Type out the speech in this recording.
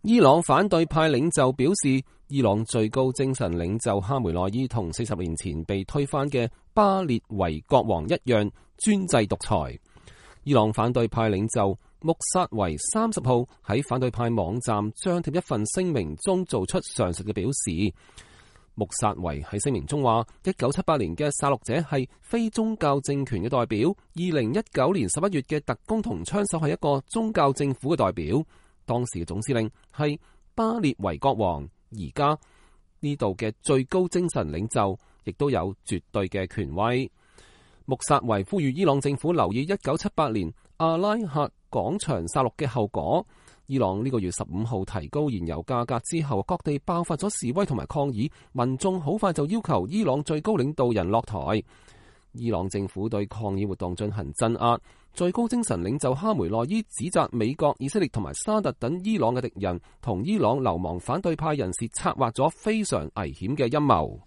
伊朗反對派領袖表示，伊朗最高精神領袖哈梅內伊同40年前被推翻嘅巴列維國王一樣專制獨裁。伊朗反對派領袖穆薩維30號喺反對派網站張貼一份聲明中做出上述嘅表示。穆薩維喺聲明中話，1978年嘅殺戮者係非宗教政權嘅代表，2019年11月嘅特工同槍手係一個宗教政府嘅代表。當時嘅總司令係巴列維國王，而家呢度嘅最高精神領袖亦都有絕對嘅權威。穆薩維呼籲伊朗政府留意1978年阿拉克廣場殺戮嘅後果。伊朗呢個月15號提高燃油價格之後，各地爆發咗示威同埋抗議，民眾好快就要求伊朗最高領導人落台。伊朗政府對抗議活動進行鎮壓，最高精神領袖哈梅內伊指責美國、以色列同埋沙特等伊朗嘅敵人同伊朗流亡反對派人士策劃咗非常危險嘅陰謀。